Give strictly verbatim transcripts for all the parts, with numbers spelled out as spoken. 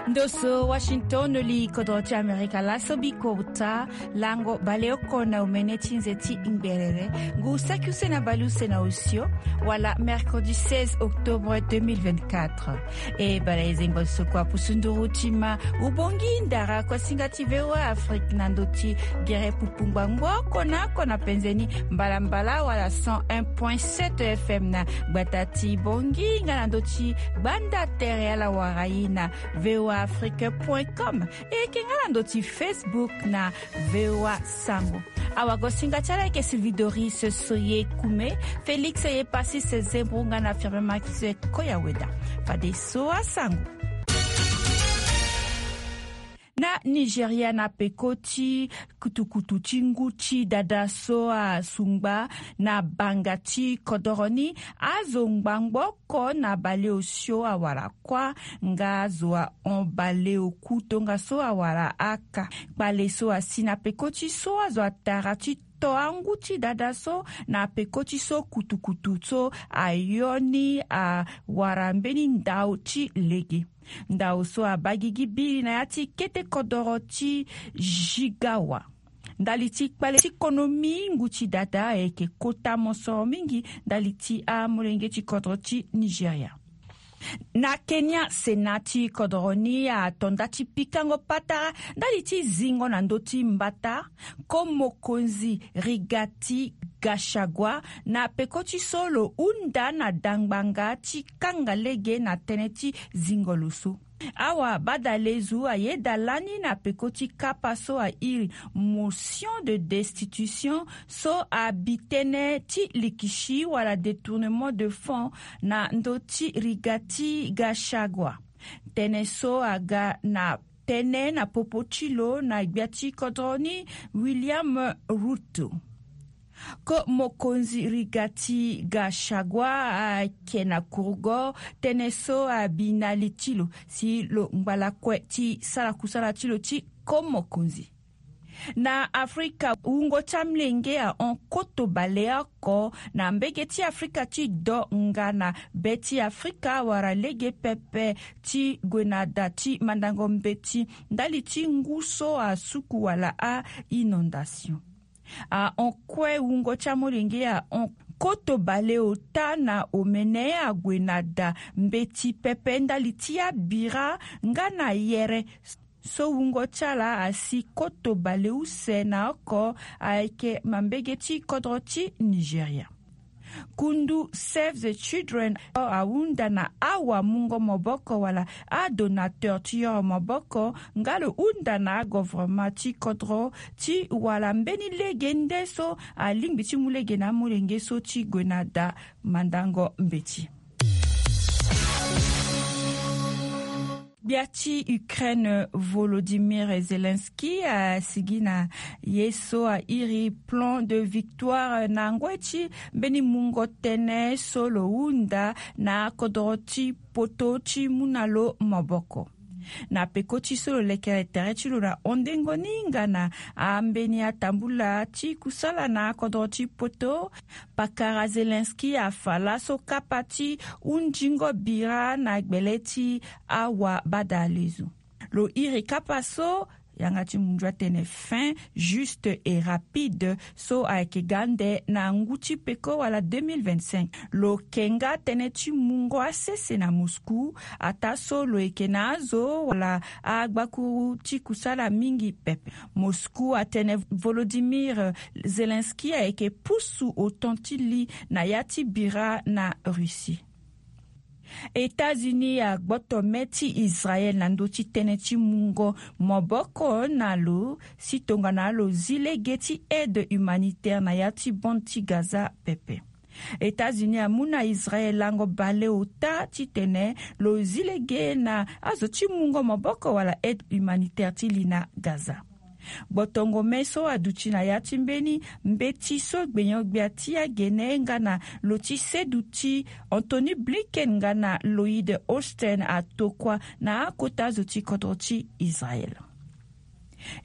Ndo so Washington, li kodro ti Amerika laso bikota. Lango baleoko na omene ti nze ti ngberere ngu saki use na baleuse na osio, wala mercredi seize octobre deux mille vingt-quatre. E bala e zengo so kua pusu nduru ti ma, ubongi ndara kosinga ti VOA Afrique na ndo ti gere pupu ngbangbo oko na oko na penze ni, mbalambala wala cent un point sept F M na gbata ti Bongi nga na ndo ti gbanda tere ala wara ye na V O A Afrique point com. E yeke nga na ndo ti Facebook na V O A Sango. Awagosinga ti ala yeke Sylvie Doris Soye Kume, Félix Epasis Zembro nga na Firme Max Koyaweda. Fadeso asango. Na Nigeria, na peko ti kutukutu ti ngu ti dada so asungba na banga ti kodoro ni, azo ngbangbo oko na baleosio awara kuâ, nga azo ahon baleoku tongaso awara aka. Kpale so asi na peko ti so azo atara ti to angu ti dada so na peko ti so kutukutu so ayo ni awara mbeni ndao ti lege. Ndao so abaa gigi biri na ya ti kete kodoro ti Jigawa. Ndali ti kpale ti konomi, ngu ti dada ayeke kota mosoro mingi ndali ti amolenge ti kodro ti Nigeria. Na Kenya, Sénat ti kodoro ni ato nda ti pikango patara ndali ti zingo na ndö ti mbata ko mokonzi Rigathi Gachagua na peko ti so lo hunda na dangbanga ti kanga lege na tënë ti zingo lo so. Awa badalezu ayeda lani na peko ti kapa so airi motion de destitution so abi tënë ti likisi wala détournement de fonds na ndö ti Rigathi Gachagua. Tënë so aga na tënë na popo ti lo na gbia ti kodro ni, William Ruto. Ko mokonzi Rigathi Gachagua ayeke na kurugo tënë so abi na li ti lo si lo ngba lakue ti sara kusala ti lo ti ko mokonzi. Na Afrika, wungo ti amolenge ahon koto baleoko na mbege ti Afrika ti do nga na be ti Afrika awara lege pepe ti gue na da ti mandango mbeti ndali ti ngu so asuku wala a-inondation. Ahon kue wungo ti amolenge ahon koto baleota na omene ague na da mbeti pepe ndali ti abira nga na yere. So wungo ti ala asi koto baleuse na oko ayeke mambege ti kodro ti Nigeria. Kundu Save the Children ahunda na awamungo maboko wala adonateur ti yoro maboko nga lo hunda na agovernement ti kodro ti wara mbeni lege nde so alingbi ti mu lege na amolenge so ti gue na da mandango mbeti. Gbia ti Ukraine Volodymyr Zelensky asigi na ye so airi plan de victoire na ngoi ti mbeni mungo tënë so lo hunda na kodro ti poto ti mu na lo maboko. Na peko ti so lo lekere tere ti lo na hondengo ni nga na ambeni atambula ti kusala na kodro ti poto, pakara Zelensky afa laso kapa ti hundingo bira na gbele ti awa badalezo. Lo iri kapa so yanga ti munzu atene fin juste et rapide so ayeke ga nde na ngu ti peko wala deux mille vingt-cinq. Lo ke nga tënë ti mungo asese na Moscou, ataa so lo yeke na azo wala agbakuru ti kusala mingi pepe. Moscou atene Volodymyr Zelensky ayeke pusu otan ti li na ya ti bira na Russie. États-Unis agboto me ti Israël na ndö ti tënë ti mungo maboko na lo si tongana lo zi lege ti aide humanitaire na ya ti bande ti Gaza pepe. États-Unis amu na Israël lango baleota titene lo zi lege na azo ti mungo maboko wala aide humanitaire ti li na Gaza. Gbotongo me so aduti na ya ti mbeni mbeti so gbenyo-gbia ti agene nga na lo ti seduti Anthony Blinken nga na Lloyd Austin atokua na akota azo ti kodro ti Israël.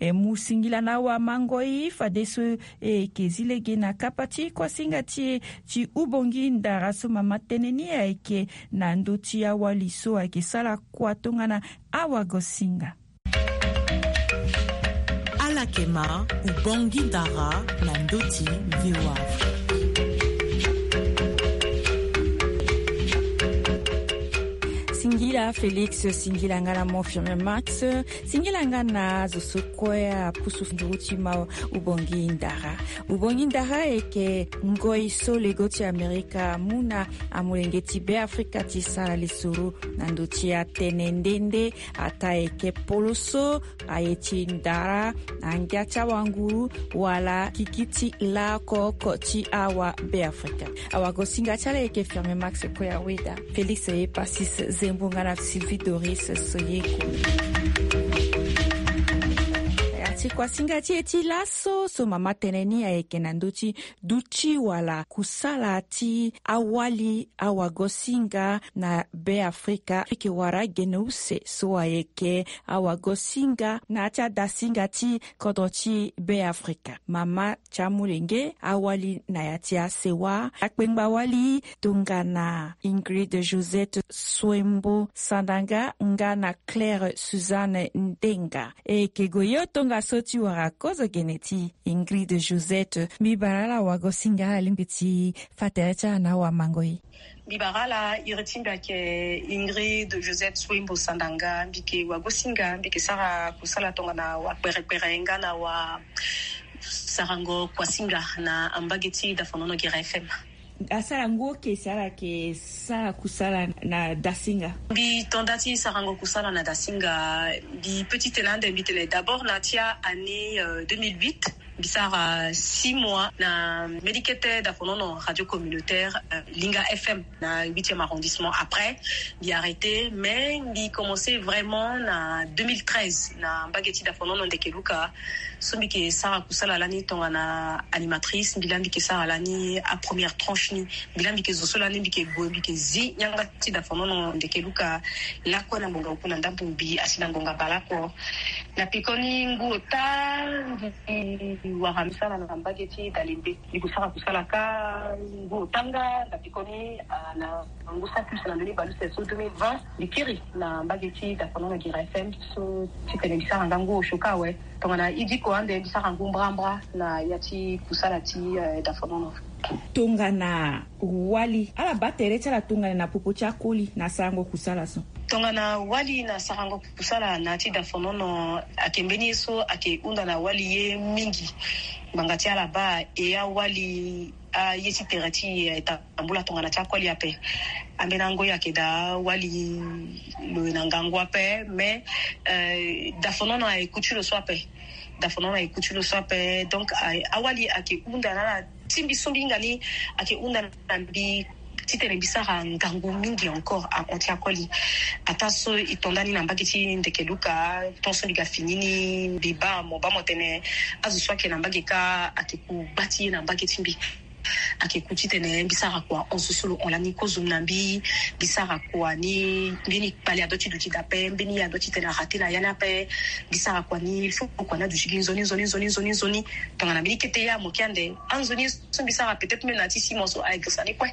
E mu singila na awamangoi fadeso e yeke zi lege na kapa ti kuasinga ti e ti Ubongi Ndara so mama tënë ni ayeke na ndö ti awali so ayeke sara kua tongana awagosinga. Ala yeke ma Ubongi Ndara na ndö ti V O A Afrique. Singila Félix, singila nga na mo Firmin Max, singila nga na zo so kue apusu nduru ti ma Ubongi Ndara. Ubongi Ndara ayeke ngoi so lego ti Amerika amu na amolenge ti Beafrika ti sara lisoro na ndö ti atene nde nde, ataa ayeke poloso, aye ti ndara, angia ti awanguru, wala gigi ti laoko ti awa Beafrika. Awagosinga ti ala ayeke Firmin Max Koyaweda, Félix Epasis Zembo nga na Sylvie Doris Soyeko. Ya ti kuasinga ti e ti laso so mama tënë ni ayeke na ndö ti duti wala kusala ti awali awagosinga na Beafrika, ayeke wara gene use so ayeke awagosinga na ya ti adasinga ti kodro ti Beafrika. Mama ti amolenge, awali na ya ti asewa, akpengba wali tongana Ingrid Josette Swembo Sandanga nga na Claire Suzanne Ndenga. E yeke gue yo tongaso ti wara kozo gene ti Ingrid Josette. Mbi bara ala wagosinga, alingbi ti fa tere ti ala na awamangoi. Mbi bara ala, iri ti mbi ayeke Ingrid Josette Swembo Sandanga. Mbi yeke wagosinga, mbi yeke sara kusala tongana wapereperenge nga na wasarango kuasinga na ambage ti dafonono Guerra F M. Asara ngu oke si ala yeke sara kusala na dasinga? Mbi to nda ti sarango kusala na dasinga, mbi petit tene ande mbi tene d'abord na ti a année, euh, deux mille huit, mbi sara six mois na mbi kete dafonono radio communautaire, euh, Linga F M na huitième arrondissement. Après, mbi arrêté, mais mbi commencé vraiment na deux mille treize na mbage ti dafonono Ndekeluka. So mbi yeke sara kusala lani tongana animatrice, mbi laa mbi yeke sara lani apremière tranche ni. Mbi laa mbi yeke zo so lani mbi yeke gue, mbi yeke zi yanga ti dafonono Ndekeluka lakue na ngonga oku na ndambo mbi asi na ngonga baleoko. Na pekoni ngu ota mbi wara mbi sara na mbage ti dalembe. Mbi gue sara kusala kâ ngu ota nga na pekoni, ah, na ngu saki use na ndö ni baleuse so deux mille vingt, mbi kiri na mbage ti dafonono Guerra F M so titene mbi sara nga ngu osio kâ awe. Tongana idiko ande mbi sara ngu mbrambra na ya ti kusala ti, eh, dafonono. Tongana wali, ala baa tere ti ala tongana na popo ti akoli na sarango kusala so? Tongana wali na sarango kusala na ya ti dafonono ayeke mbeni ye so ayeke hunda na wali ye mingi. Ngbanga ti ala baa e awali aye ti tere ti e ayeke tambula tongana ti akoli ape. Ambeni angoi ayeke daa wali lo ye na ngangu ape, mais, euh, dafonono ayeke ku ti lo so ape. Dafonono ayeke ku ti lo so ape. Donc, euh, awali ayeke hunda na ala ti mbi so mbi hinga ni, ayeke hunda na mbi titene mbi sara ngangu mingi encore ahon ti akoli. Ataa so e to nda ni na mbage ti Ndekeluka, tant so mbi ga fini ni, mbi baa mo, baa mo tene azo so ayeke na mbage kâ ayeke ku gba ti ye na mbage ti mbi. Ayeke ku titene mbi sara kua hon so so lo hon lani kozo na mbi. Mbi sara kua ni, mbeni kpale adoit ti duti daa ape, mbeni adoit titene arate na ya ni ape. Mbi sara kua ni, il faut kua ni aduti gi nzoni, nzoni, nzoni, nzoni, nzoni. Tongana mbeni kete ya mo ke ande, anzoni so mbi sara peut-être même na ya ti six mois so ayeke sani kue.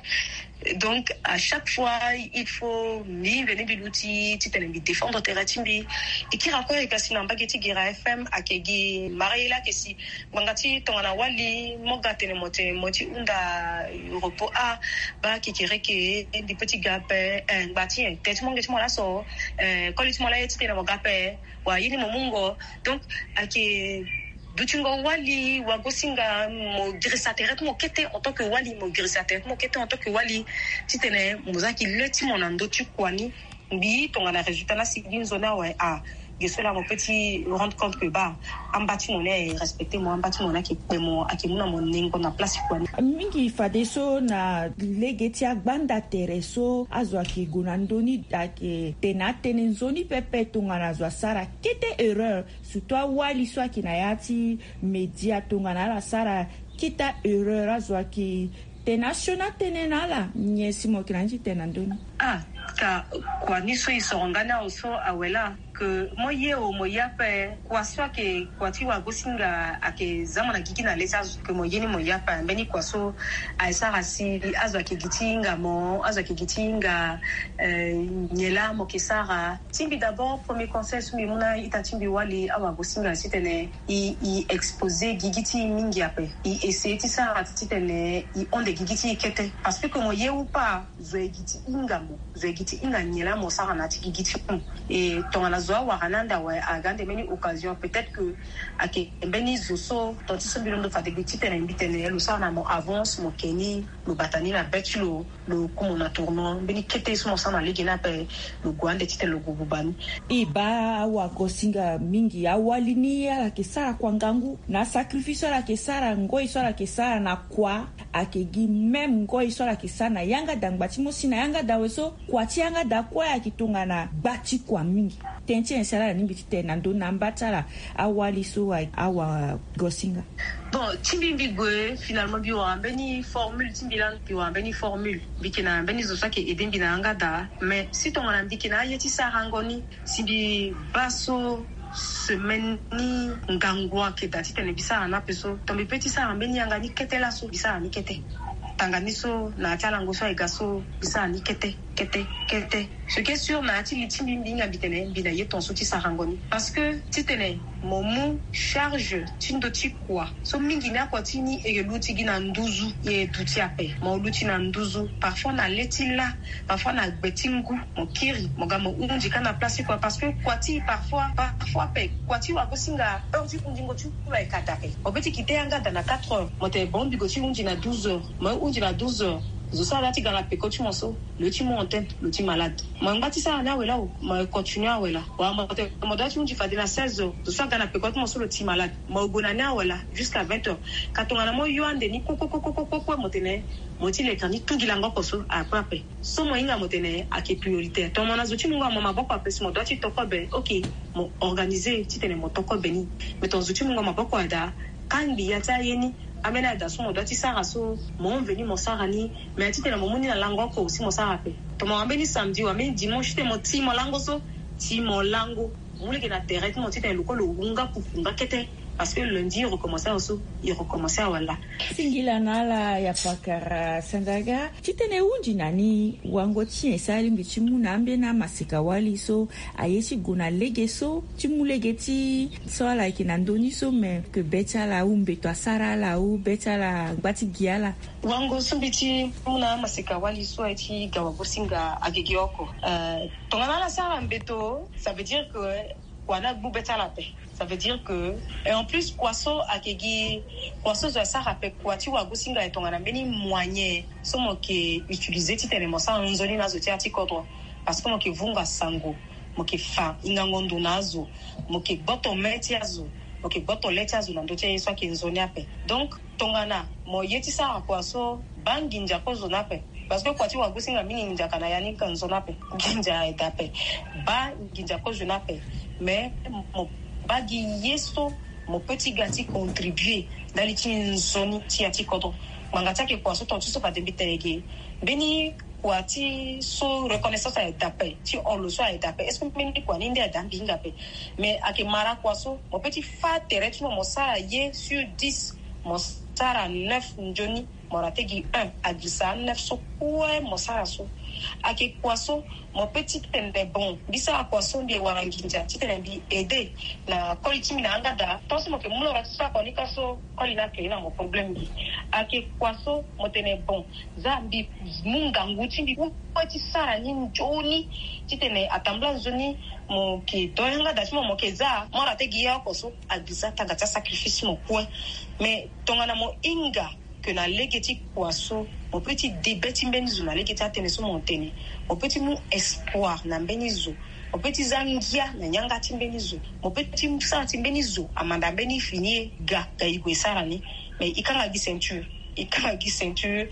Donc, à chaque fois, il faut mbi veni mbi luti titene mbi défendre tere ti mbi. E kiri akue e ga si na mbage ti Guerra F M, ayeke gi mara ye laa ayeke si ngbanga ti tongana wali mo ga tene mo tene mo ye ti hunda repos a, baa kekereke, mbi peut ti ga ape, eh, ngba ti nyen, tere ti mo nge ti mo laso, eh, koli ti mo laa ye titene mo ga ape, wa ye ni mo mungo. Donc, ayeke dutingo wali, wagosinga, mo girisa tere ti mo kete en tant que wali, mo girisa tere ti mo kete en tant que wali, titene mo za ki le ti mo na ndö ti kua ni. Mbi tongana résultat laa si gi nzoni awe, ah, ge so laa mo peut ti rendre compte que baa amba ti mo ni ayeke respecté mo, amba ti mo ni ayeke kpe mo, ayeke mu na mo nengo na place kua ni. Mingi fadeso na lege ti agbanda tere so azo ayeke gue na ndö ni, ayeke tene atënë nzoni pepe tongana azo asara kete erreur. Surtout awali so ayeke na ya ti média, tongana ala sara kete erreur, azo ayeke tene asioni atënë na ala. Nyen si mo yeke na ni ti tene na ndö ni? Ah, ka kua ni so e soro nga ni awe so awe laa. Ke mo ye o mo ye ape, kua so ayeke kua ti wagosinga ayeke za mo na gigi na le ti azo ke mo ye ni mo ye ape. Mbeni kua so aye sara si azo ayeke gi ti hinga mo, azo ayeke gi ti hinga nyen laa mo yeke sara. Ti mbi d'abord premier conseil so mbi mu na ita ti mbi wali awagosinga titene i i exposer gigi ti i mingi ape. I essayer ti sara titene i honde gigi ti i kete, parce que ke mo ye ou pas, zo ye gi ti hinga mo, zo ye gi ti hinga nyen laa mo sara na ya ti gigi ti mo. E tongana zo awara ni ande awe, aga ande mbeni occasion, peut-être que ayeke mbeni zo so ton ti so mbi londo fade gbe titene mbi tene lo sara na mo avance, mo ke ni, lo bata ni na be ti lo, lo ku mo na tournant. Mbeni kete so mo sara na lege ni ape, lo gue ande titene lo gue buba ni. E baa awagosinga mingi, awali ni ala yeke sara kua ngangu na sacrifice so ala yeke sara, ngoi so ala yeke sara na kua. Ayeke gi même ngoi so ala yeke sara na yanga da ngba ti mo si na yanga da awe so kua ti yanga da kue ayeke tongana gba ti kua mingi. Tënë ti nyen si ala na ni mbi ti tene na ndö na amba ti ala, awali so awagosinga? Bon, ti mbi mbi gue finalement mbi wara mbeni formule ti mbi lani, mbi wara mbeni formule. Mbi yeke na mbeni zo so ayeke aide mbi na yanga da, mais si tongana mbi yeke na aye ti sarango ni, si mbi baa so semaine ni ngangu ayeke daa titene mbi sara ni ape so, to mbi pe ti sara mbeni yanga ni kete laso, mbi sara ni kete. Tanga ni so na ya ti alango so aye ga so, mbi sara ni kete, kete, kete. Ce qui est sûr, na ya ti li ti mbi, mbi hinga mbi tene mbi na ye ton so ti sarango ni. Parce que titene mo mu charge ti ndö ti kua so mingi ni, akua ti ni e luti gi na nduzu, e duti ape. Mo luti na nduzu, parfois na le ti la, parfois na gbe ti ngu, mo kiri, mo ga mo hundi kâ na place ti kua. Parce que kua ti parfois, parfois ape, kua ti wagosinga, heure ti hundingo ti kua ayeke daa ape. Mo be ti kite yanga da na quatre heures, mo tene bon mbi gue ti hundi na douze heures. Mo ye hundi na douze heures, zo so ala ti ga na peko ti mo so, lo ye ti mu antenne, lo ti malade. Mo ngba ti sara ni awe laa o, mo continue awe laa. Wala mo tene mo dua ti hundi fade na seize heures, zo so aga na peko ti mo so lo ti malade. Mo gue na ni awe laa jusqu'à vingt heures. Ka tongana mo yo ande ni kue kue kue kue kue, mo tene mo ti leka ni tu gi lango oko so, ape ape. So mo hinga mo tene ayeke prioritaire. Tongana zo ti mungo mo maboko ape si mo dua ti to kobe, ok, mo organiser titene mo to kobe ni. Mais tongana zo ti mungo maboko aye daa, kangbi ya ti aye ni, ambeni aye daa so mo dua ti sara so, mo enve ni mo sara ni. Mais titene mo mu ni na lango oko si mo sara ape. Tongana wambeni samedi, wambeni dimanche titene mo ti mo lango so, ti mo lango. Mu lege na tere ti mo titene lo kue lo hunga kuku nga kete. Parce que lundi e recommencer awe so, e recommencer awe laa. Singila na ala ya pakara Sandaga. Titene e hundi na ni wango ti nyen si alingbi ti mu na ambeni amaseka-wali so aye ti gue na lege so ti mu lege ti so ala yeke na ndö ni so, me ke be ti ala ou mbeto asara ala ou be ti ala ngba ti gi ala. Wango so mbi ti mu na amaseka-wali so aye ti ga wagosinga ayeke gi oko. Euh, tongana ala sara mbeto, ça veut dire que kua ni agbu be ti ala ape. Ça veut dire que, et en plus kua so ayeke gi, kua so zo asara ape kua ti wagosinga, e tongana mbeni moyen so mo yeke utiliser titene mo sara nzoni na azo ti ya ti kodro. Parce que mo yeke vunga sango, mo yeke fa hingango ndo na azo, mo yeke gboto me ti azo, mo yeke gboto le ti azo na ndö ti aye so ayeke nzoni ape. Donc tongana mo ye ti sara kua so, baa nginza kozo ni ape. Parce que kua ti wagosinga mingi nginza ka na ya ni ka nzoni ape. Nginza aye daa ape. Baa nginza kozo ni ape. Mais mo baa gi ye so mo pe ti ga ti contribuer ndali ti nzoni ti ya ti kodro. Ngbanga ti ayeke kua so ton ti so fade mbi tene ge, mbeni kua ti so reconnaissance aye daa ape, ti hon lo so aye daa ape. Est-ce que mbeni kua ni nde aye daa mbi hinga ape? Mais ayeke mara kua so mo pe ti fâ tere ti mo, mo sara ye sur dix, mo sara neuf nzoni, mo raté gi un, agirisa aneuf so kue mo sara so. Ayeke kua so mo pe ti tene bon, mbi sara kua so mbi wara nginza titene mbi aide na koli ti mbi na yanga daa. Tant so mo yeke mu lora ti sara kua ni ka so, koli ni ake na mo problème mbi. Ayeke kua so mo tene bon, za mbi mu ngangu ti mbi kue ti sara ni nzoni titene atambula nzoni mo yeke do yanga daa ti mo, mo yeke za mo raté gi ya oko so, agirisa tanga ti asacrifice ti mo kue. Mais tongana mo hinga ke na lege ti kua so, mo pe ti de be ti mbeni zo na lege ti atënë so mo tene. Mo pe ti mu espoir na mbeni zo. Mo pe ti za ngia na yanga ti mbeni zo. Mo pe ti sara ti mbeni zo amanda mbeni fini e ga, ga e gue e sara ni. Mais e kanga gi ceinture, e kanga gi ceinture.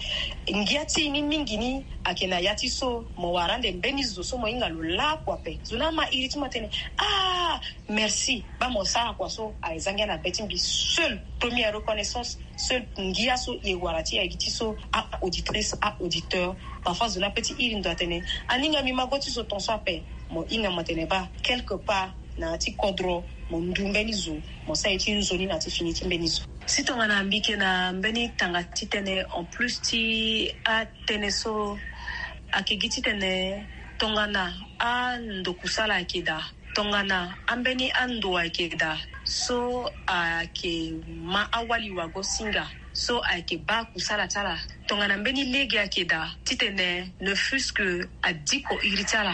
Ngia ti e ni mingi ni ayeke na ya ti so mo wara ande mbeni zo so mo hinga lo lakue ape. Zo ni ama iri ti mo atene, ah, merci. Baa mo sara kua so aye za ngia na be ti mbi. Seule première reconnaissance, seule ngia so e wara ti e aye gi ti so, a-auditrice, a-auditeur. Parfois zo ni ape ti iri ndo atene, aninga mbi ma go ti zo ton so ape. Mo hinga mo tene baa quelque part na ya ti kodro, mo ndu mbeni zo, mo sara ye ti nzoni na ya ti fini ti mbeni zo. Si tongana mbi yeke na mbeni tanga titene en plus ti atënë so, ayeke gi titene tongana ando kusala ayeke daa, tongana ambeni ando ayeke daa, so ayeke ma awali wago-singa, so ayeke baa kusala ti ala. Tongana mbeni lege ayeke daa titene ne fût-ce que adiko iri ti ala,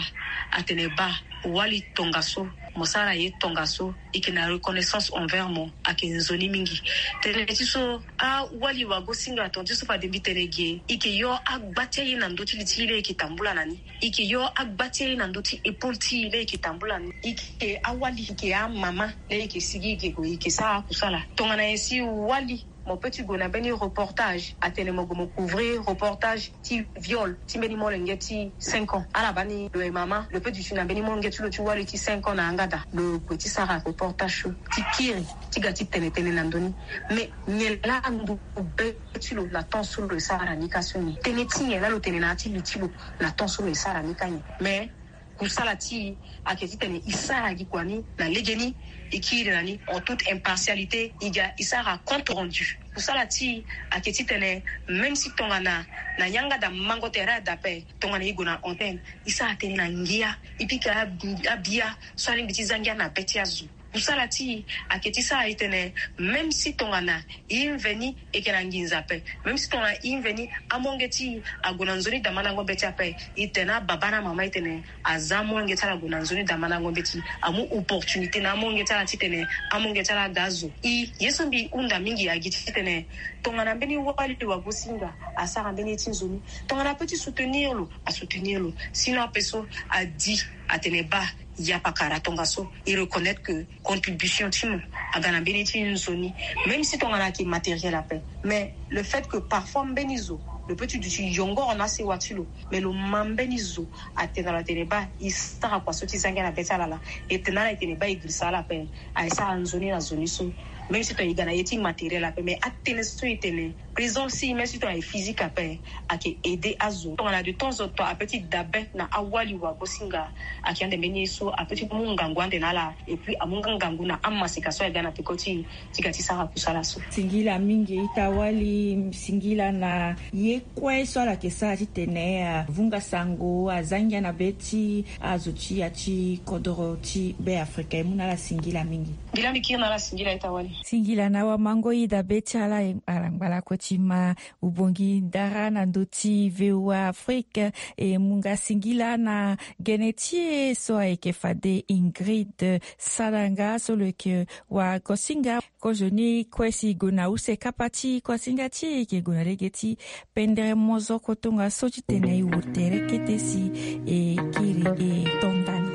atene baa, wali tongaso, mo sara ye tongaso, e yeke na reconnaissance envers mo, ayeke nzoni mingi. Tënë ti so, awali wago-singa, tongana ti so fade mbi tene ge, e yeke yo agba ti aye na ndö ti li ti e laa e yeke tambula na ni. E yeke yo agba ti aye na ndö ti épaule ti e laa e yeke tambula na ni. E yeke awali, e yeke amama laa e yeke sigi e yeke gue e yeke sara akusala. Tongana nyen si wali mo peut ti gue na mbeni reportage, atene mo gue mo couvrir reportage ti viol ti mbeni molenge ti cinq ans. Ala baa ni lo ye mama, lo peut duti na mbeni molenge ti lo ti wali ti cinq ans na yanga daa, lo gue ti sara reportage so ti kiri ti ga ti tene tënë na ndö ni. Mais nyen laa ndo be ti lo na temps so lo ye sara na ni ka so nyen? Tënë ti nyen laa lo tene na ya ti li ti lo na temps so lo ye sara na ni ka nyen? Mais kusala ti e ayeke titene e sara gi kua ni na legeni, e kiri na ni en toute impartialité, e ga e sara compte rendu. Kusala ti e ayeke titene même si tongana na yanga daa mango tere daa ape, tongana e gue na antenne, e sara tënë na ngia, e pika abi-, abia so alingbi ti za ngia na be ti azo. Kusala ti e ayeke ti sara e tene même si tongana e mveni e yeke na nginza ape, même si tongana e mveni amolenge ti e ague na nzoni damandango mbeti ape, e tene na ababa na amama e tene aza amolenge ti ala ague na nzoni damandango mbeti, amu opportunité na amolenge ti ala titene amolenge ti ala aga azo. E, ye so mbi hunda mingi agi titene tongana mbeni wali wago-singa asara mbeni ye ti nzoni, tongana apeut ti soutenir lo, asoutenir lo. Sinon ape so adi atene baa, ya pakara tongaso, e reconnaître que contribution ti mo aga na mbeni ti nzoni. Même si tongana ayeke matériel ape, mais le fait que parfois mbeni zo lo peut ti duti yongoro na asewa ti lo, mais lo ma mbeni zo, atene na lo atene baa, e sara kua so ti za ngia na be ti ala laa. E tene na ala e tene baa, e girisa ala ape, aye sara nzoni na zo ni so. Même si tongana e ga na ye ti matériel ape, mais atënë so e tene présence ti e, même si tongana e physique ape, ayeke aider azo. Tongana de temps en temps apeut ti dabe na awali wago-singa, ayeke ande mbeni ye so apeut ti mu ngangu ande na ala, et puis amu nga ngangu na amaseka so aye ga na peko ti e ti ga ti sara kusala so. Singila mingi ita wali, singila na ye kue so ala yeke sara titene avunga sango, aza ngia na be ti azo ti ya ti kodoro ti Be Afrika. E mu na ala singila mingi. Ngira mbi kiri na ala singila ita wali. Singila na wamango ida be ti ala, e, ala ngbalako ti ma. Ubongi ndara na ndö ti V O A Afrique. E mu nga singila na gene ti e so ayeke fade Ingrid Sadanga so lo yeke wagosinga. Kozoni kue si e gue na use kapa ti kuasinga ti e, e yeke gue na lege ti pendere mozoko tongaso titene e wo tere kete si e kiri e to ndani.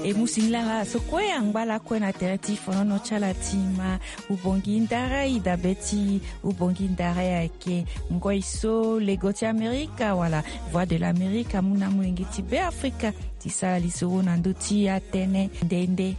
E mu singila na ala so kue angba lakue na tere ti fonono ti ala ti ma. Ubongi ndara, e dabe ti ubongi ndara ayeke ngoi so lego ti Amerika wala Voix de l'Amérique amu na amolenge ti Be Afrika ti sara lisoro na ndö ti atënë nde nde.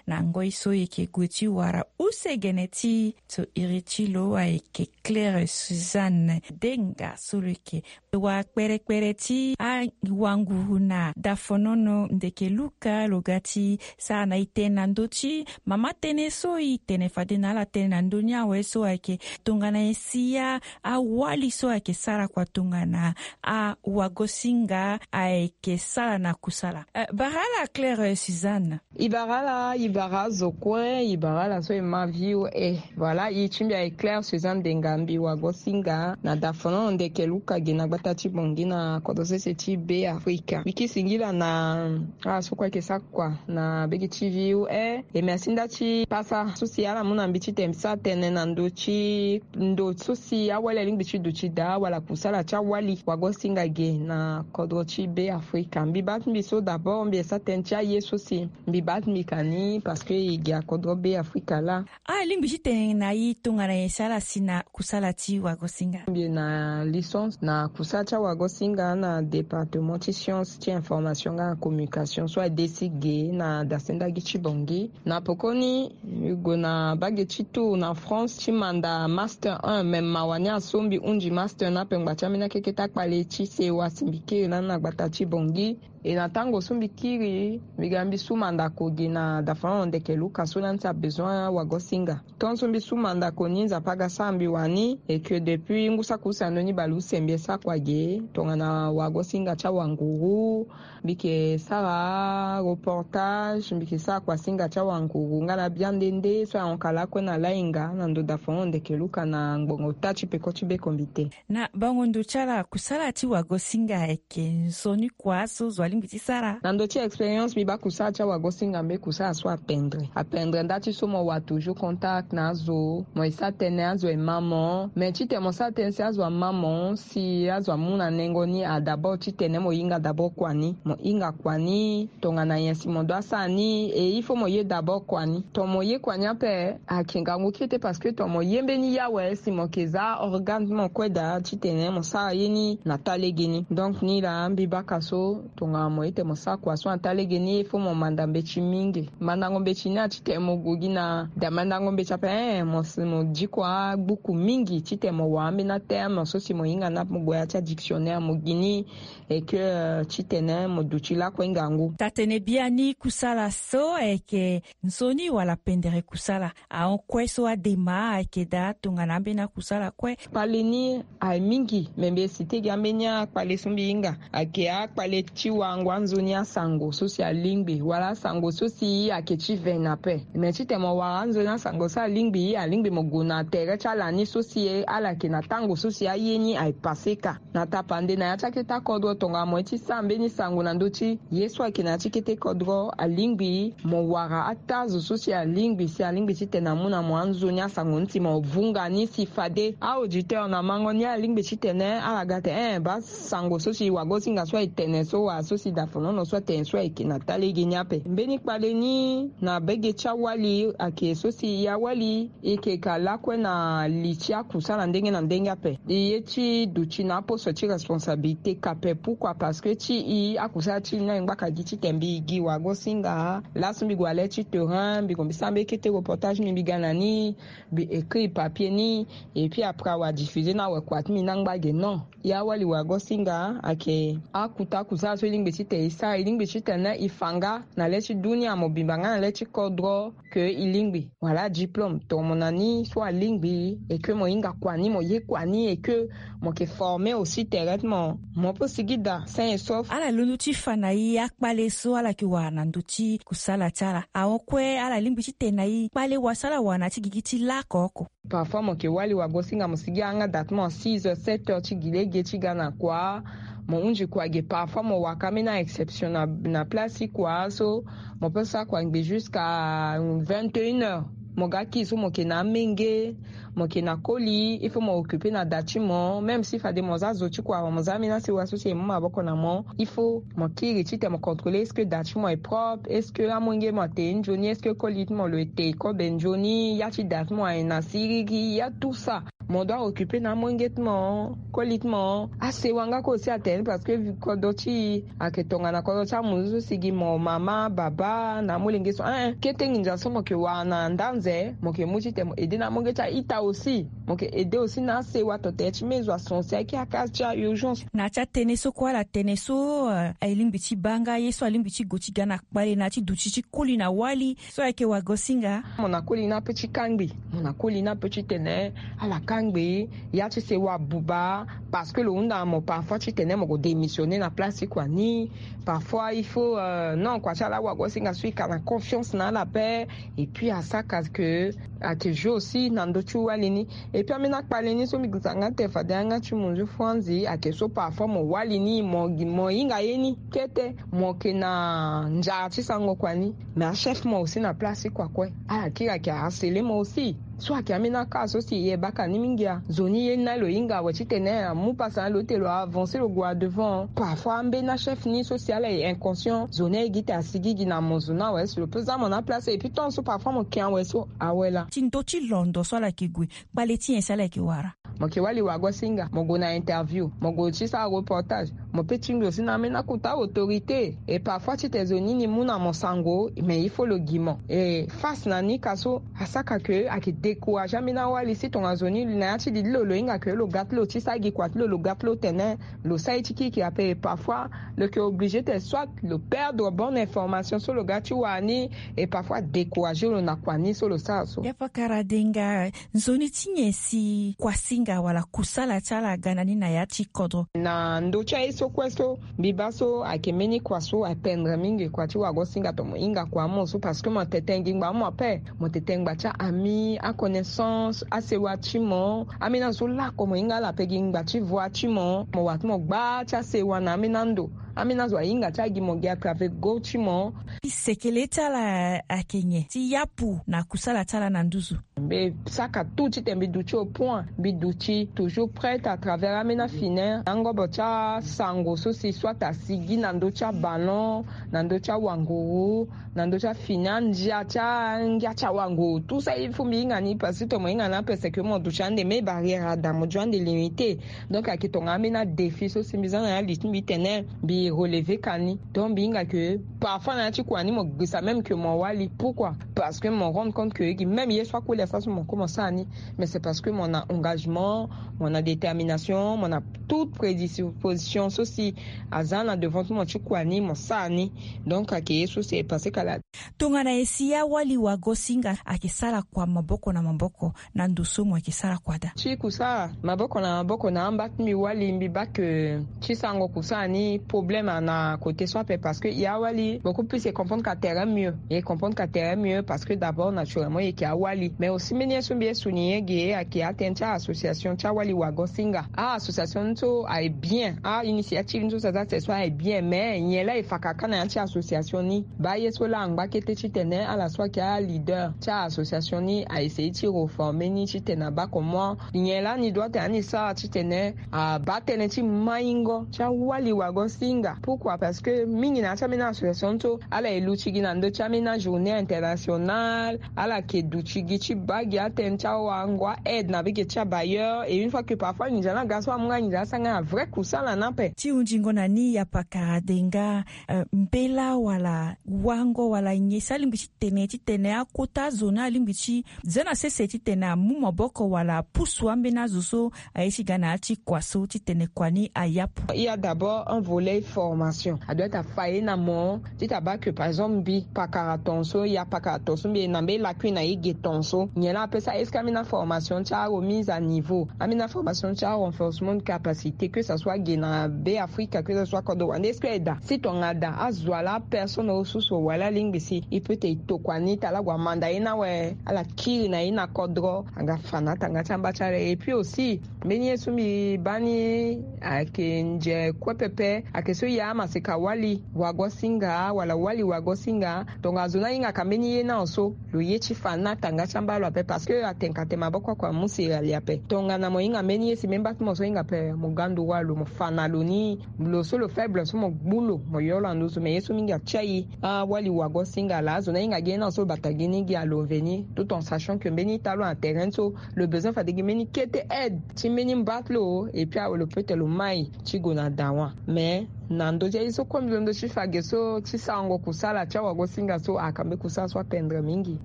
Na ngoi so e yeke gue ti wara use gene ti so iri ti lo ayeke Claire Suzanne Denga so lo yeke wakperekpere ti awanguru na dafonono ndeke luka lo ga ti sara na e tënë na ndö ti mama tënë so e tene fade na ala tënë na ndö ni awe so ayeke tongana e si a awali so ayeke sara kua tongana awagosinga ayeke sara na kusala. Eh, bara ala Claire Suzanne. E bara ala, e bara azo kue, e bara ala so e ma V O A. Voilà, e ti mbi ayeke Claire Suzanne Denga, mbi wagosinga na dafonono ndeke luka gi na gbata ti Bangui na kodro sese ti Be Afrika. Mbi ke singila na ala so kue ayeke sara kua na bege ti V O A. E merci nda ti pasa so si ala mu na mbi titene mbi sara tënë na ndö ti ndo so si awali alingbi ti duti daa wala kusala ti awali wagosinga ge na kodro ti Be Afrika. Mbi baa ti mbi so d'abord mbi ye sara tënë ti aye so si mbi baa ti mbi ka ni. Parce que e gi akodro be afrika laa. Alingbi ti tene na e tongana nyen si ala si na kusala ti wagosinga? Mbi na licence na kusala ti awagosinga na département ti science ti information nga na communication so adesi ge na dasendagi ti bongi. Na pokoni, mbi gue na bage ti tour na France ti manda master un, me mawa ni aso mbi hunzi master ni ape ngba ti ambeni akeke ti akpale ti sewa si mbi kiri lani na gbata ti bongi. E na tango so mbi kiri, mbi ga mbi su mandako gi na dafanon ndeke luka so lani ti abesoin wagosinga. Tant so mbi su mandako ni, nzapa aga sara mbi wani. Et que depuis ngu saki use ando ni baleuse mbi e sara kua ge tongana wagosinga ti awanguru. Mbi ke sara reportage, mbi ke sara kuasinga ti awanguru nga na biande nde so ahon ka lakue na lainga na ndo dafanon ndeke luka na ngbongo ota ti peko ti be komite. Na bango ndo ti ala kusala ti wagosinga ayeke nzoni kua so zo alingbi ti sara? Na ndo ti expérience mbi baa kusala ti awagosinga mbe kusala so apendre apendre nda ti so mo wa toujours contact na azo, mo e sara tënë azo e ma mo. Mais titene mo sara tënë si azo ama mo si azo amu na nengo ni a d'abord titene mo hinga d'abord kua ni, mo hinga kua ni. Tongana nyen si mo dua sara ni, e il faut mo ye d'abord kua ni. Ton mo ye kua ni ape ayeke ngangu kete parce que ton mo ye mbeni ye awe si mo ke za organe ti mo kue daa titene mo sara ye ni na taa lege ni. Donc ni laa mbi baka so tongana mo ye tene mo sara kua so na taa lege ni, il faut mo manda mbeti mingi. Mandango mbeti ni atitene mo gue gi na da mandango mbeti ape, eh, mo si mo di kua agbuku mingi titene mo wara ambeni aterme so si mo hinga na mo gue ya ti adictionnaire mo gi ni. Et que, euh, titene mo duti lakue ngangu. Taa-tënë biani kusala so ayeke nzoni wala pendere kusala? Ahon kue so adema ayeke daa tongana ambeni akusala kue? Kpale ni aye mingi, me mbi e site gi ambeni akpale so mbi hinga. Ayeke akpale ti wango anzoni asango so si alingbi wala asango so si ayeke ti ve na ape. Me titene mo wara anzoni asango so alingbi, alingbi mo gue na tere ti ala ni so si ala yeke na tango so si aye ni aye pase ka. Na tapande na ya ti akete akodro tongana mo ye ti sara mbeni sango na ndö ti ye so ayeke na ya ti kete kodro, alingbi mo wara ataa zo so si alingbi si alingbi titene amu na mo anzoni asango ni si mo vunga ni si fade a-auditeur na mango ni alingbi titene ala ga tene, eh, baa sango so si wagosinga so aye tene so wala so si dafonono so atene so ayeke na taa lege ni ape. Mbeni kpale ni na bege ti awali ayeke so si e awali e yeke ka lakue na li ti akusala ndenge na ndenge ape. E ye ti duti na aposo ti responsabilité ka ape. Pourquoi? Parce que ti e akusala ti e ni aye ngbaka gi titene mbi gi wagosinga. Laso mbi gue na le ti terrain, mbi gue mbi sara mbeni kete reportage ni, mbi ga na ni, mbi écrit papier ni. Et puis après awa diffuser na awe kua ti mbi ni angba ge. Non. E awali wagosinga ayeke akuta kusala so e lingbi titene e sara. E lingbi titene e fa nga na le ti dunia mobimba nga na le ti kodro ke e lingbi. Wala diplôme ton mo na ni so alingbi, et que mo hinga kua ni, mo ye kua ni, et que mo yeke former aussi tere ti mo. Mo peut sigi daa sain et sauf. Ala londo ti fa na e akpale so ala yeke wara na ndö ti kusala ti ala. Ahon kue ala lingbi titene na e kpale wa so ala wara na ya ti gigi ti lako oko. Parfois mo yeke wali wagosinga mo sigi yanga daa ti mo six heures, sept heures ti gi lege ti ga na kua. Mo hunzi kua ge, parfois mo waka ambeni a-exception na, na place ti kua so. Mo peut sara kua ngbi jusqu'à vingt et une heures. Mo ga kiri so mo yeke na amenge, mo yeke na koli, il faut mo occuper na da ti mo. Même si fade mo za zo ti kua, mo za ambeni asewa so si e mu maboko na mo, il faut mo kiri titene mo contrôler est-ce que da ti mo est propre, est-ce que amolenge mo ate nzoni, est-ce que koli ti mo lo ete kobe nzoni, ya ti da ti mo aye na siriri, ya tout ça. Mo doit occuper na amolenge ti mo, koli ti mo. Asewa nga kue aussi atene parce que kodro ti e ayeke tongana kodro ti amunzu so si gi mo mama, baba na amolenge so. Hein, kete nginza so mo yeke wara na ndanze, mo yeke mu titene mo aider na amolenge ti a-ita aussi. Mo yeke aider aussi na asewa to tere ti mezo ason si ayeke akaz ti a-urgence. Na ya ti atënë so kue ala tene so, eh, e lingbi ti baa nga ye so alingbi ti gue ti ga na kpale na ya ti duti ti koli na wali so ayeke wagosinga. Mo na koli ni ape ti kangbi, mo na koli ni ape titene ala kangbi ya ti sewa buba. Parce que lo hunda na mo parfois titene mo gue démissionner na place ti kua ni. Parfois il faut, euh, non, kua ti ala wagosinga so e ka na confiance na ala ape. Et puis asara ka ke ayeke jeu aussi na ndö ti wali ni. Et puis ambeni akpale ni so mbi gi zanga tene fade yanga ti munzu franzi ayeke so parfois mo wali ni, mo, mo hinga ye ni kete, mo yeke na nzara ti sarango kua ni. Mais achef mo aussi na place ti kua kue, ala kiri ayeke harceler mo aussi. So ayeke ambeni aka so si e baka ni mingi a. Zo ni ye ni na lo hinga awe titene amu pasa na lo ti lo avancer lo gue devant. Parfois ambeni achef ni so si ala ye inconscient zo ni aye gi te asigi gi na mo zo ni awe si lo pe za mo na place et puis tant so parfois mo ke awe so awe laa. Ti ndö ti londo so ala yeke gue kpale ti nyen si ala yeke wara? Mo ke wali wago singa mo gue na interview mo gue ti sara reportage. Mo pe tingbi aussi na ambeni akuta autorité. Et parfois tite zo ni ni mu na mo sango mais il faut lo gi mo et face na ni ka so asaka ke ayeke décourage ambeni awali si tonga zo ni na ya ti li ti lo lo hinga ke lo ga ti lo ti sa gi kua ti lo lo ga ti lo tene lo sa ye ti kiki ape et parfois lo yeke obligé te soit lo perdre bonne information so lo ga ti wara ni et parfois décourage lo na kua ni so lo sara so. Ya pakara denga. Nzoni ti nyen si kuasinga wala kusala ti ala aga na ni na ya ti kodro? Na ndö ti aye so kue so mbi baa so ayeke mbeni kua so apendre mingi kua ti wago singa to mo hinga kua amu so parce que mo tete ngi ngba amu ape. Mo tete ngba ti aami aconnaissance asewa ti mo. Ambeni azo so lako mo hinga ala pe gi ngba ti voie ti mo mo wa ti mo gba ti asewa na ambeni ando. Ambeni azo ahinga ti agi mo gi à travers go ti mo. Sekele ti ala ayeke nyen ti yapu na kusala ti ala na nduzu? Mbi saka tout tite mbi duti au point mbi duti toujours prête à travers ambeni afine angobo ti asango so si soit asigi na ndö ti aballon na ndö ti awanguru na ndö ti afine andia ti angia ti awanguru tout ça il faut mbi hinga ni parce que to mo hinga ni ape c'est que mo duti ande mais barrière ada mo jo ande limité. Donc ayeke tonga ambeni adéfi so si mbi za na ya li ti mbi tene mbi relever ka ni. Donc mbi hinga ke parfois na ya ti kua ni mo gbisa même ke mo wali pourquoi? Parce que mo rendre compte ke gi même ye so akue le sa so mo kue mo sara ni. Mais c'est parce que mo na engagement, mo na détermination, mo na toute prédisposition so si aza na devant ti mo ti kua ni mo sara ni. Donc ayeke ye so si e passé kala. Tongana e si awali wago singa ayeke sara kua maboko na maboko na ndo so mo yeke sara kua daa? Ti kusara maboko na maboko na amba ti mbi wali mbi baa ke ti sango kusara ni problème ana côté so ape parce que ya wali beaucoup plus e comprendre ka terrain mieux e comprendre ka terrain mieux parce que d'abord naturellement e yeke awali mais aussi mbeni ye so mbi ye souligner ge ayeke atene ti association ti awali wago singa. Association ni so aye bien a initiative ni so si aza te so aye bien mais nyen laa e fa kaka na ya ti association ni? Baa ye so laa angba kete titene ala so ayeke aleader ti association ni a essayer ti reformer ni titene abaa comment nyen laa ni doit tene ani sara titene abaa tënë ti maingo ti awali wago singa pourquoi parce que mingi na ya ti ambeni association so ala ye luti gi na ndö ti ambeni ajournée internationale. Ala yeke duti gi ti baa gi atënë ti awango a aide na bege ti abailleur et une fois que parfois nginza ni aga so amu nga nginza ni asa nga na vrai kusala ni ape. Ti hunzingo na ni ya pakara denga. Mbela wala wango wala nyen si alingbi ti tene titene akota azo ni alingbi ti za na sese titene amu maboko wala apusu ambeni azo so aye ti ga na ya ti kua so titene kua ni ayapu? Il y a d'abord un volet formation adoit afa ye na mo ti ta baa ke par exemple mbi pakara ton so ya pakara ton so mbi ye na mbeni lacune na ye ge ton so nyen laa apesa est-ce que ambeni aformation ti aremise à niveau ambeni aformation ti arenforcement de capacité que ça soit ge na be afrika que ça soit kodro wande est-ce que eda si tonga da azo ala personne ressource wala alingbi si e peut te e tokua ni ti ala gue amanda ye ni awe ala kiri na ye na kodro anga fa na atanga ti amba ti ala et puis aussi mbeni ye so mbi baa ni ayeke nze kue pepe ayeke so ya amaseka wali wago singa wala wali wago singa. Tonga zo ni ahingaka mbeni ye ni awe so lo ye ti fa na atanga ti amba lo ape parce que atengka te maboko oko amu sirali ape tongana mo hinga mbeni ye si mbeni baa ti mo so hinga ape mo ga ndo walo mo fa na lo ni. Lo so lo faible so mo gbu lo mo yo lo na nduzu mais ye so mingi atia ye. Awali wago singa laa azo ni ahinga gi ye ni awe so lo bata gi ni gi alo mveni tout en sachant que mbeni ita lo na terrain so lo besoin fade gi mbeni kete aide ti mbeni mba ti lo et puis awe lo peut te lo mai ti gue na dawa mais na ndö ti aye so kue mbi londo ti fa ge so ti sarango kusala ti awagosinga so aka mbi kusala so apendre mingi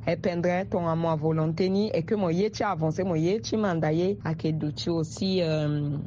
ependre tonga mo avolonté ni et que mo ye ti avancer mo ye ti manda ye ake duti aussi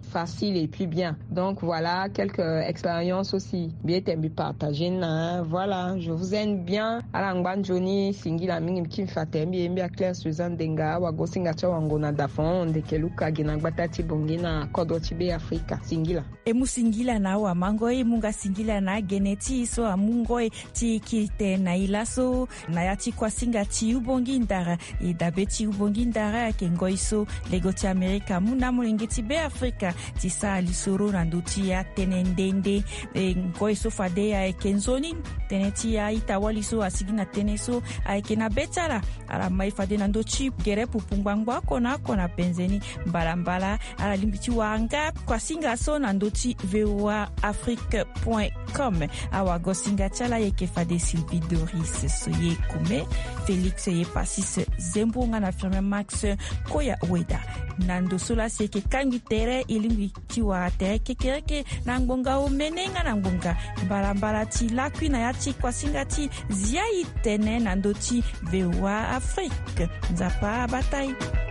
facile et puis bien. Donc voilà quelques expériences aussi mbi ete mbi partager na voilà je vous aime bien ala ngba nzoni singila mingi mbi kiri fa tere mbi ye mbi aclaire suzanne denga awagosinga ti awango na dafon ndeke luka gi na gbata ti bongi na kodro ti be afrika singila. E mu singila na awamango e. Munga singila na agene ti e so amu ngoi ti kiri tënë na e laso na ya ti kuasinga ti Ubongi Ndara. E dabe ti Ubongi Ndara ayeke ngoi so lego ti Amerika amu na amolenge ti Beafrika ti sara lisoro na ndö ti atënë nde nde. E ngoi so fade ayeke nzoni tënë ti a-ita-wali so asigi na tënë so ayeke na be ti ala. Ala mai fade na ndö ti gere pupu ngbangbo oko na oko na penze ni. Mbalambala ala lingbi ti wara nga kuasinga so na ndö ti V O A Afrique point com. Awagosinga ti ala ayeke fade Sylvie Doris Soye Kume, Félix Yepasis Zembo nga na Firmin Max Koya Weda. Na ndo so lasi eke kangbi tere e lingbi ti wara tere kekereke na ngbonga omene nga na ngbonga mbalambala ti lakui na ya ti kuasinga ti zia e tene na ndo ti V O A Afrique. Nzapa abata e.